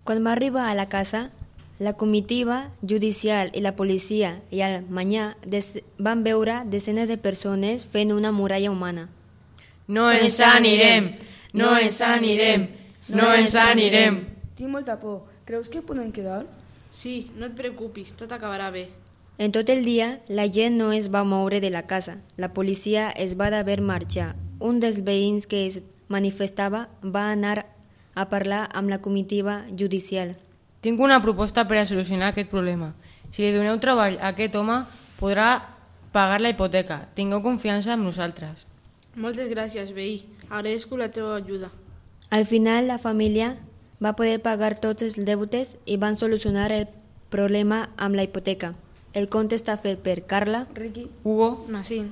Quan va arribar a la casa, la comitiva judicial i la policia i al manyà van veure desenes de persones fent una muralla humana. No ens anirem! No ens anirem! No ens anirem! Tinc molta por. Creus que podem quedar? Sí, no et preocupis, tot acabarà bé. En tot el dia, la gent no es va moure de la casa. La policia es va d'haver marxar. Un dels veïns que es manifestava va anar a parlar amb la comitiva judicial. Tinc una proposta per a solucionar aquest problema. Si li doneu treball a aquest home, podrà pagar la hipoteca. Tingueu confiança en nosaltres. Moltes gràcies, veí. Agraeixo la teva ajuda. Al final, la família va poder pagar tots els deutes i van solucionar el problema amb la hipoteca. El conte està fet per Carla, Riqui, Hugo, Nassim.